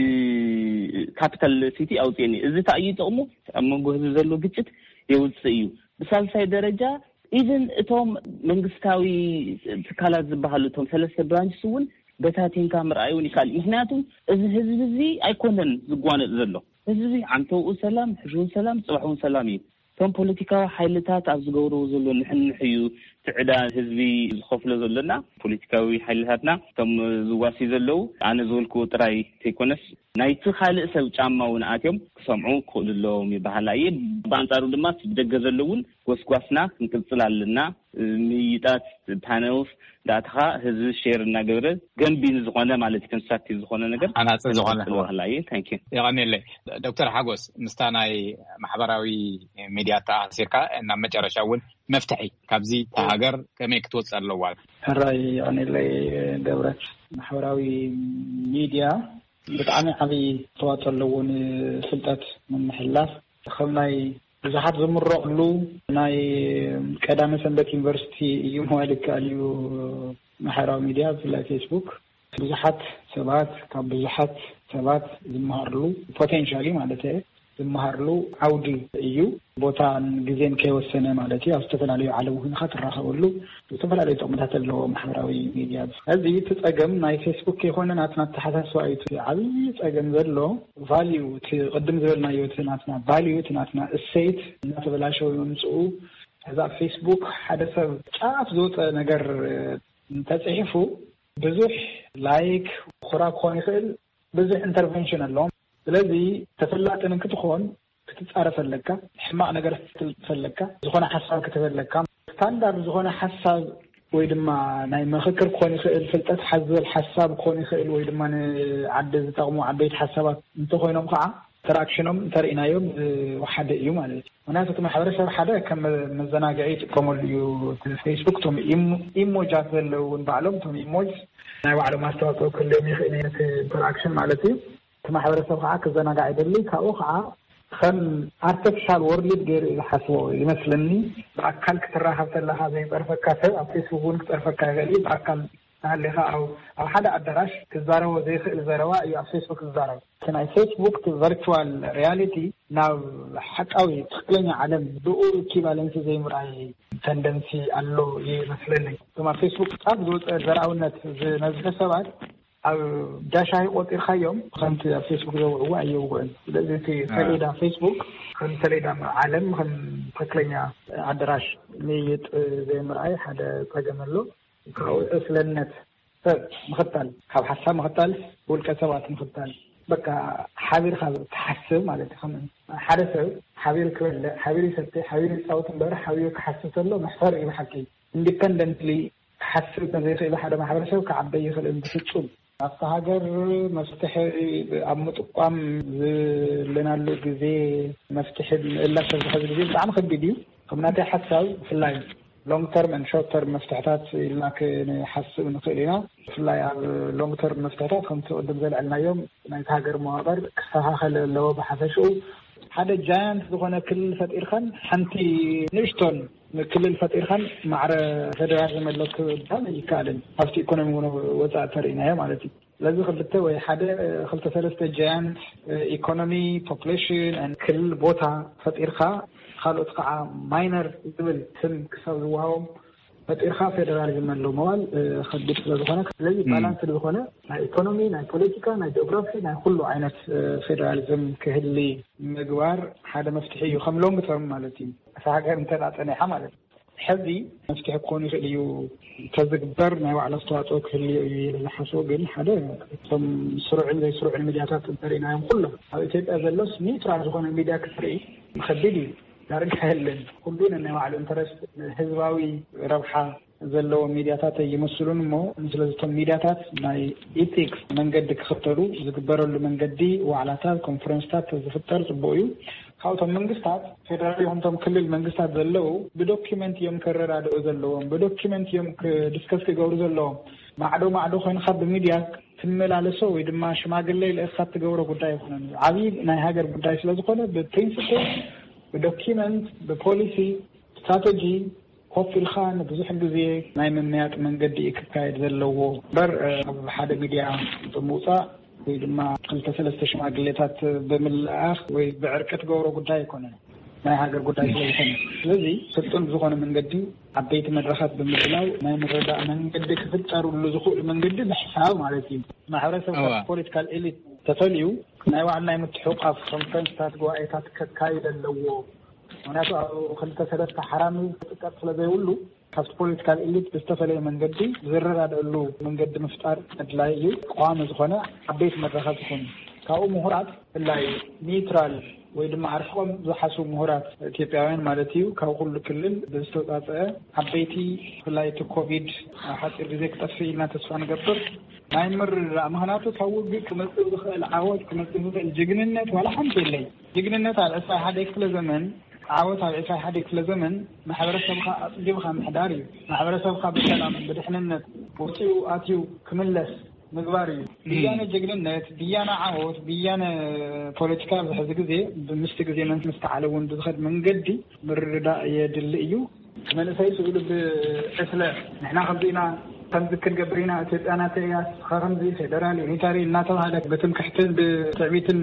ካፒታል ሲቲ ኣውፅኤን እዩ። እዚ እንታይ እዩ ጥቕሙ? ኣብ መንጎ ህዝቢ ዘሎ ግጭት የውፅእ እዩ። ብሳልሳይ ደረጃ፣ ኢቨን እቶም መንግስታዊ ትካላት ዝበሃሉ፣ እቶም ሰለስተ ብራንችስ እውን በታቲንካ ምርኣይ እውን ይካል። ምክንያቱም እዚ ህዝቢ እዚ ኣይኮነን ዝጓነጥ ዘሎ። ህዝቢ ዓንተውኡ ሰላም፣ ሕሽውን ሰላም፣ ፅባሕውን ሰላም እዩ። እቶም ፖለቲካዊ ሓይልታት ኣብ ዝገብርዎ ዘሎ ንሕንሕ እዩ ትዕዳ ህዝቢ ዝኸፍሎ ዘሎና። ፖለቲካዊ ሓይልታትና እቶም ዝዋሲ ዘለዉ፣ ኣነ ዝበልክዎ ጥራይ ዘይኮነስ ናይቲ ካልእ ሰብ ጫማ እውን ኣትዮም ክሰምዑ ክኽእሉ ኣለዎም ይበሃል እየ። ብኣንጻሩ ድማ እቲ ብደገ ዘሎ እውን ጎስጓስና ክንቅጽል ኣለና። ምይይጣት፣ ፓነልስ፣ ዳእትኻ ህዝቢ ሼር እናገበረ ገንቢ ዝኾነ ማለት እዩ፣ ኮንስትራክቲቭ ዝኾነ ነገር ሃናጺ ዝኾነ። ክንቅጽል በሃላ እየ። ታንክ ዩ። የቐኔለይ። ዶክተር ሓጎስ፣ ምስታ ናይ ማሕበራዊ ሚድያ ተኣሲርካ ናብ መጨረሻ እውን መፍትሒ ካብዚ እታ ሃገር ከመይ ክትወጽእ ኣለዋ? ሕራይ የቐኔለይ ገብረ። ማሕበራዊ ሚድያ ብጣዕሚ ዓብዪ ኣስተዋፅኦ ኣለዎ ንፍልጠት ምምሕልላፍ። ከም ናይ ብዙሓት ዝምረቕሉ ናይ ቀዳመ ሰንበት ዩኒቨርሲቲ እዩ ምባል ይከኣል እዩ። ማሕበራዊ ሚድያ ብፍላይ ፌስቡክ ብዙሓት ሰባት ካብ ብዙሓት ሰባት ዝመሃርሉ፣ ፖቴንሻሊ ማለት እየ፣ ዝመሃርሉ ዓውዲ እዩ። ቦታን ግዜን ከይወሰነ ማለት እዩ። ኣብ ዝተፈላለዩ ዓለም ኮይንካ ትራኸበሉ ዝተፈላለዩ ጥቕምታት ኣለዎ ማሕበራዊ ሚድያ። እዚ እቲ ጸገም ናይ ፌስቡክ ከይኮነ ናትና ኣተሓሳስባ እዩ። እቲ ዓብዪ ጸገም ዘሎ ቫልዩ፣ እቲ ቅድም ዝበልናዮ፣ እቲ ናትና ቫልዩ፣ እቲ ናትና እሴት እናተበላሸወ ምምፅኡ። ሕዚ ኣብ ፌስቡክ ሓደ ሰብ ጫፍ ዝወፀ ነገር እንተፅሒፉ ብዙሕ ላይክ፣ ኹራ ክኾን ይኽእል፣ ብዙሕ ኢንተርቨንሽን ኣለዎም። ስለዚ ተፈላጢ ንክትኾን ክትጻረፍ ኣለካ፣ ሕማቕ ነገር ክትልጥፍ ኣለካ፣ ዝኾነ ሓሳብ ክትህብ ኣለካ። ስታንዳርድ ዝኾነ ሓሳብ ወይ ድማ ናይ ምኽክር ክኾን ይኽእል፣ ፍልጠት ሓዘል ሓሳብ ክኾን ይኽእል፣ ወይ ድማ ንዓዲ ዝጠቕሙ ዓበይቲ ሓሳባት እንተኾይኖም ከዓ ኢንተራክሽኖም እንተርኢናዮም ዝወሓደ እዩ ማለት እዩ። ምክንያቱ እቲ ማሕበረሰብ ሓደ ከም መዘናግዒ ይጥቀመሉ እዩ። እቲ ፌስቡክ እቶም ኢሞ-፣ ኢሞጃት ዘለዉ እውን ባዕሎም እቶም ኢሞጅ ናይ ባዕሎም ኣስተዋፅኦ ክህልዮም ይኽእል እዩ፣ ነቲ ኢንተራክሽን ማለት እዩ። እቲ ማሕበረሰብ ከዓ ክዘናጋዕ ይደሊ። ካብኡ ከዓ ከም ኣርቲፊሻል ወርልድ ገይሩ እዩ ዝሓስቦ ይመስለኒ። ብኣካል ክትራኸብ ከለካ ዘይፀርፈካ ሰብ ኣብ ፌስቡክ እውን ክፀርፈካ ይኽእል እዩ። ብኣካል እናሃለኻ ኣብ፣ ኣብ ሓደ ኣዳራሽ ክዛረቦ ዘይኽእል ዘረባ እዩ ኣብ ፌስቡክ ዝዛረብ። እቲ ናይ ፌስቡክ ቨርቹዋል ሪያሊቲ ናብ ሓቃዊ ትኽክለኛ ዓለም ብኡ ኢኩቫለንሲ ዘይምርኣይ ተንደንሲ ኣሎ ይመስለኒ። እቶም ኣብ ፌስቡክ ጫፍ ዝወፀ ዘርኣውነት ዝነዝሑ ሰባት ኣብ ዳሻሂ ቆጢርካዮም ከምቲ ኣብ ፌስቡክ ዘውዕዎ ኣየውግዕን። ስለዚ እቲ ሰሌዳ ፌስቡክ ከም ሰሌዳ ዓለም፣ ከም ትኽክለኛ ኣዳራሽ ምይይጥ ዘይምርኣይ ሓደ ጸገም ኣሎ። ካብኡ ዕስለነት ሰብ ምኽታል፣ ካብ ሓሳብ ምኽታል፣ ውልቀ ሰባት ምኽታል፣ በቃ ሓቢርካ ትሓስብ ማለት እዩ። ከም ሓደ ሰብ ሓቢሩ ክበልዕ፣ ሓቢሩ ይሰትይ፣ ሓቢሩ ይፃወት እምበር ሓቢሩ ክሓስብ ከሎ መሕፈር እዩ ብሓቂ። ኢንዲፐንደንትሊ ክሓስብ ዘይኽእል ሓደ ማሕበረሰብ ክዓበይ ይኽእል ብፍጹም። ኣብታ ሃገር መፍትሒ ኣብ ምጥቋም ዘለናሉ ግዜ፣ መፍትሒ ምእላሽ ኣብዚ ሕዚ ግዜ ብጣዕሚ ከቢድ እዩ። ከም ናተይ ሓሳብ ብፍላይ ሎንግ ተርም ን ሾርት ተርም መፍትሕታት ኢልና ክንሓስብ ንኽእል ኢና። ብፍላይ ኣብ ሎንግ ተርም መፍትሕታት ከምቲ ቅድም ዘልዐልናዮም ናይቲ ሃገር መዋቕር ክስተኻኸል ኣለዎ። ብሓፈሽኡ ሓደ ጃያንት ዝኾነ ክልል ፈጢርካን ሓንቲ ንእሽቶን ክልል ፈጢርካን ማዕረ ፌደራሊዝም ኣሎ ክበሃል ኣይከኣልን። ኣብቲ ኢኮኖሚ እውን ወፃኢ ተርኢናዮ ማለት እዩ። ስለዚ ክልተ ወይ ሓደ ክልተ ሰለስተ ጃያንት ኢኮኖሚ፣ ፖፕሌሽን፣ ክልል፣ ቦታ ፈጢርካ፣ ካልኦት ከዓ ማይነር ዝብል ስም ክሳብ ዝወሃቦም ፈጢርካ ፌደራሊዝም ኣሎ መባል ከቢድ ስለዝኾነ፣ ስለዚ ባላንስ ዝኾነ ናይ ኢኮኖሚ፣ ናይ ፖለቲካ፣ ናይ ጂኦግራፊ፣ ናይ ኩሉ ዓይነት ፌደራሊዝም ክህሊ ምግባር ሓደ መፍትሒ እዩ፣ ከም ሎንግ ተርም ማለት እዩ። እታ ሃገር እንተ ጸኒሓ ማለት እዩ። ሕዚ መፍትሒ ክኾን ይኽእል እዩ፣ ተዝግበር ናይ ባዕሉ ኣስተዋፅኦ ክህልዮ እዩ ኢለ ዝሓስቦ። ግን ሓደ፣ እቶም ስሩዕን ዘይስሩዕን ሚድያታት እንተሪእናዮም ኩሎም ኣብ ኢትዮጵያ ዘሎስ ኒውትራል ዝኾነ ሚድያ ክትርኢ ከቢድ እዩ። ዳርጋ የለን። ኩሉ ነናይ ባዕሉ ኢንተረስት፣ ህዝባዊ ረብሓ ዘለዎ ሚድያታት ኣይመስሉን። እሞ ስለዚ እቶም ሚድያታት ናይ ኢቲክስ መንገዲ ክኽተሉ፣ ዝግበረሉ መንገዲ፣ ዋዕላታት፣ ኮንፈረንስታት ዝፍጠር ፅቡቅ እዩ። ካብቶም መንግስታት ፌደራል ይኹን እቶም ክልል መንግስታት ዘለዉ ብዶኪመንት እዮም ከረዳድኡ ዘለዎም፣ ብዶኪመንት እዮም ዲስከስ ክገብሩ ዘለዎም። ማዕዶ ማዕዶ ኮይንካ ብሚድያ ትመላለሶ ወይ ድማ ሽማግለ ልእካ ትገብሮ ጉዳይ ኣይኮነን። ዓብዪ ናይ ሃገር ጉዳይ ስለዝኾነ ብፕሪንስፕል፣ ብዶኪመንት፣ ብፖሊሲ፣ ስትራተጂ ኮፍ ኢልካ ንብዙሕ ግዜ ናይ ምምያጥ መንገዲ እዩ ክካየድ ዘለዎ እምበር፣ ኣብ ሓደ ሚድያ ብምውፃእ ወይ ድማ ክልተ ሰለስተ ሽማግሌታት ብምልኣኽ ወይ ብዕርቂ ትገብሮ ጉዳይ ኣይኮነን፣ ናይ ሃገር ጉዳይ ስለዝኾነ። ስለዚ ስልጡን ብዝኾነ መንገዲ ዓበይቲ መድረኻት ብምድላው ናይ ምርዳእ መንገዲ ክፍጠርሉ ዝኽእሉ መንገዲ ምሕሳብ ማለት እዩ። ማሕበረሰብ ካብ ፖለቲካል ኤሊት ተፈልዩ ናይ ባዕሉ ናይ ምትሕቋፍ ኮንፈረንስታት፣ ጉባኤታት ከካይድ ኣለዎ። ምክንያቱ ኣብ ክልተ ሰለስተ ሓራሚ ክጥቀጥ ስለዘይብሉ ካብቲ ፖለቲካል ኤሊት ብዝተፈለየ መንገዲ ዝረዳድእሉ መንገዲ ምፍጣር ኣድላይ እዩ። ቀዋሚ ዝኾነ ዓበይቲ መድረኻት ይኹን ካብኡ ምሁራት ብፍላይ ኒውትራል ወይ ድማ ኣርሒቆም ዝሓስቡ ምሁራት ኢትዮጵያውያን ማለት እዩ ካብ ኩሉ ክልል ብዝተውፃፀአ ዓበይቲ ብፍላይ እቲ ኮቪድ ኣብ ሓፂር ግዜ ክጠፍእ ኢልና ተስፋ ንገብር ናይ ምርዳእ። ምክንያቱ ካብ ውግእ ክመፅእ ዝኽእል ዓወት ክመፅእ ዝኽእል ጅግንነት ዋላ ሓንቲ የለይ። ጅግንነት ኣብ ዕስራ ሓደ ክፍለ ዘመን ዓወት ኣብ ዕስራ ሓደ ክፍለ ዘመን ማሕበረሰብካ ኣፅጊብካ ምሕዳር እዩ። ማሕበረሰብካ ብሰላም ብድሕንነት ወፂኡ ኣትዩ ክምለስ ምግባር እዩ። ብያነ ጀግንነት፣ ብያነ ዓወት፣ ብያነ ፖለቲካ ኣብዚ ሕዚ ግዜ ብምስቲ ግዜ መን ምስተዓለ እውን ብዝኸድ መንገዲ ምርዳእ የድሊ እዩ። መንእሰይ ስእሉ ብዕስለ ንሕና ከምዚ ኢና ከምዚ ክንገብር ኢና ኢትዮጵያ ናተይ እያ ስኻ ከምዚ ፌደራል ዩኒታሪ እናተባህለ ብትምክሕትን ብትዕቢትን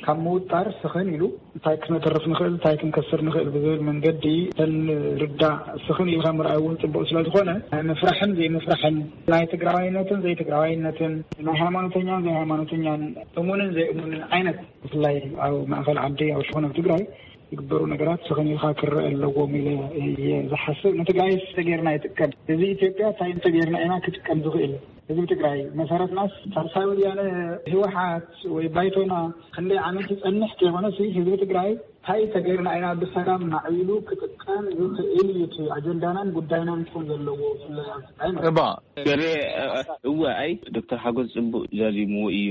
ካብ ምውጣር ስኽን ኢሉ እንታይ ክነተርፍ ንኽእል እንታይ ክንከስር ንኽእል ብዝብል መንገዲ ተን ርዳእ ስኽን ኢልካ ምርኣይ እውን ፅቡቅ ስለዝኾነ ናይ ምፍራሕን ዘይምፍራሕን ናይ ትግራዋይነትን ዘይትግራዋይነትን ናይ ሃይማኖተኛን ዘይሃይማኖተኛን እሙንን ዘይእሙንን ዓይነት ብፍላይ ኣብ ማእኸል ዓዲ ኣብ ሽኾነ ኣብ ትግራይ ዝግበሩ ነገራት ስኽን ኢልካ ክረአ ኣለዎም ኢለ እየ ዝሓስብ። ንትግራይ ተጌርና ይጥቀም ህዝቢ ኢትዮጵያ እንታይ ተጌርና ኢና ክጥቀም ዝኽእል ህዝቢ ትግራይ መሰረትናስ ሳልሳይ ወያነ ህወሓት ወይ ባይቶና ክንደይ ዓመት ይፀንሕ ከይኮነሲ ህዝቢ ትግራይ እንታይ ተጌርና ኢና ብሰላም ማዕቢሉ ክጥቀም ዝኽእል እዩ እቲ ኣጀንዳናን ጉዳይናን ክኾን ዘለዎ ብፍላይ ኣብ ትግራይ ማለት እዩ። እባ ገሬ እወ ኣይ ዶክተር ሓጎስ ፅቡቅ ዛዚምዎ እዩ።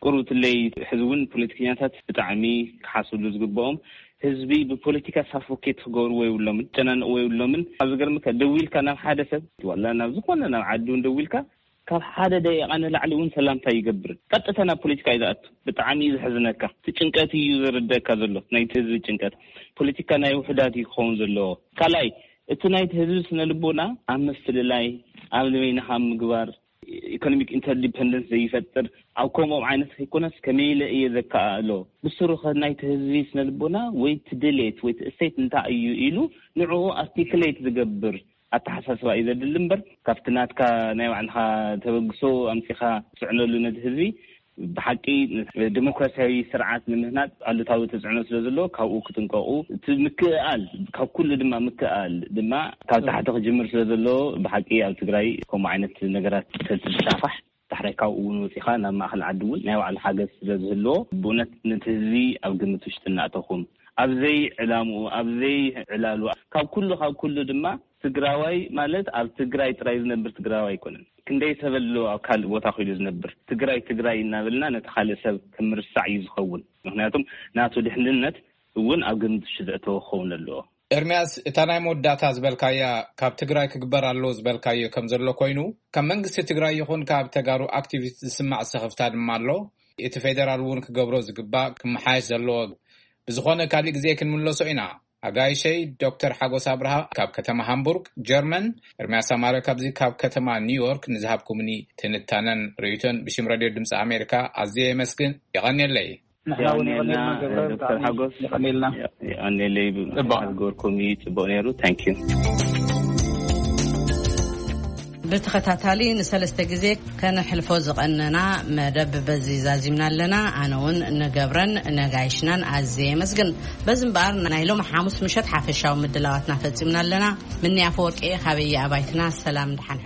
ቁሩብ ትለይ ሕዚ እውን ፖለቲከኛታት ብጣዕሚ ክሓስብሉ ዝግብኦም ህዝቢ ብፖለቲካ ሳፎኬት ክገብርዎ የብሎምን፣ ክጨናንቅዎ የብሎምን። ኣብ ዝገርምካ ደዊልካ ናብ ሓደ ሰብ ዋላ ናብ ዝኾነ ናብ ዓዲ እውን ደዊልካ ካብ ሓደ ደቂቃ ንላዕሊ እውን ሰላምታ ይገብርን ቀጥታ ናብ ፖለቲካ እዩ ዝኣቱ። ብጣዕሚ እዩ ዘሕዝነካ። እቲ ጭንቀት እዩ ዘረደእካ ዘሎ ናይቲ ህዝቢ ጭንቀት። ፖለቲካ ናይ ውሑዳት እዩ ክኸውን ዘለዎ። ካልኣይ እቲ ናይቲ ህዝቢ ስነ ልቦና ኣብ ምፍልላይ ኣብ ንበይንኻ ምግባር ኢኮኖሚክ ኢንተርዲፐንደንስ ዘይፈጥር ኣብ ከምኦም ዓይነት ከይኮነስ ከመይ ኢለ እየ ዘከኣእሎ ብስሩ ከ ናይቲ ህዝቢ ስነ ልቦና ወይ እቲ ድሌት ወይ እቲ እሴት እንታይ እዩ ኢሉ ንዕኡ ኣርቲክሌት ዝገብር ኣተሓሳስባ እዩ ዘድሊ እምበር ካብቲ ናትካ ናይ ባዕልኻ ተበግሶ ኣምፂኻ ትፅዕነሉ ነቲ ህዝቢ ብሓቂ ዲሞክራሲያዊ ስርዓት ንምህናፅ ኣሉታዊ ተፅዕኖ ስለ ዘለዎ ካብኡ ክጥንቀቁ እቲ ምክእኣል ካብ ኩሉ ድማ ምክእኣል ድማ ካብ ታሕቲ ክጅምር ስለ ዘለዎ ብሓቂ ኣብ ትግራይ ከምኡ ዓይነት ነገራት ተዝስፋሕፋሕ ዳሕራይ ካብኡ እውን ወፂኻ ናብ ማእኸል ዓዲ እውን ናይ ባዕሉ ሓገዝ ስለ ዝህልዎ ብእውነት ነቲ ህዝቢ ኣብ ግምት ውሽጢ እናእተኹም ኣብ ዘይዕላምኡ ኣብ ዘይዕላሉ ካብ ኩሉ ካብ ኩሉ ድማ ትግራዋይ ማለት ኣብ ትግራይ ጥራይ ዝነብር ትግራዋይ ኣይኮነን። ክንደይ ሰብ ኣሎ ኣብ ካልእ ቦታ ኮይሉ ዝነብር። ትግራይ ትግራይ እናበልና ነቲ ካልእ ሰብ ከም ምርሳዕ እዩ ዝኸውን። ምኽንያቱም ናቱ ድሕንነት እውን ኣብ ግምት ውሽጢ ዘእተወ ክኸውን ኣለዎ። ኤርምያስ፣ እታ ናይ መወዳእታ ዝበልካያ ካብ ትግራይ ክግበር ኣለዎ ዝበልካዮ ከም ዘሎ ኮይኑ ካብ መንግስቲ ትግራይ ይኹን ካብ ተጋሩ ኣክቲቪስት ዝስማዕ ስኽፍታ ድማ ኣሎ። እቲ ፌደራል እውን ክገብሮ ዝግባእ ክመሓየሽ ዘለዎ ብዝኾነ ካሊእ ግዜ ክንምለሶ ኢና። ኣጋይሸይ ዶክተር ሓጎስ ኣብርሃ ካብ ከተማ ሃምቡርግ ጀርመን፣ ኤርምያስ ኣማረ ካብዚ ካብ ከተማ ኒውዮርክ ንዝሃብኩምኒ ትንታነን ርእይቶን ብሽም ሬድዮ ድምፂ ኣሜሪካ ኣዝየ የመስግን። የቐንየለይ። ንሕና እውን የቐንየልና ዶክተር ሓጎስ። የቐንየልና። የቐንየለይ። ጽቡቕ ዝገበርኩም እዩ፣ ጽቡቕ ነይሩ። ታንኪዩ። ብተኸታታሊ ንሰለስተ ግዜ ከነሕልፎ ዝቐነና መደብ በዚ ዛዚምና ኣለና። ኣነ እውን ንገብረን ነጋይሽናን ኣዝየ የመስግን። በዚ እምበኣር ናይ ሎም ሓሙስ ምሸት ሓፈሻዊ ምድላዋትና ፈጺምና ኣለና። ምኒ ኣፈወርቂ እየ፣ ካበየ ኣባይትና ሰላም ድሓን ሕዶ።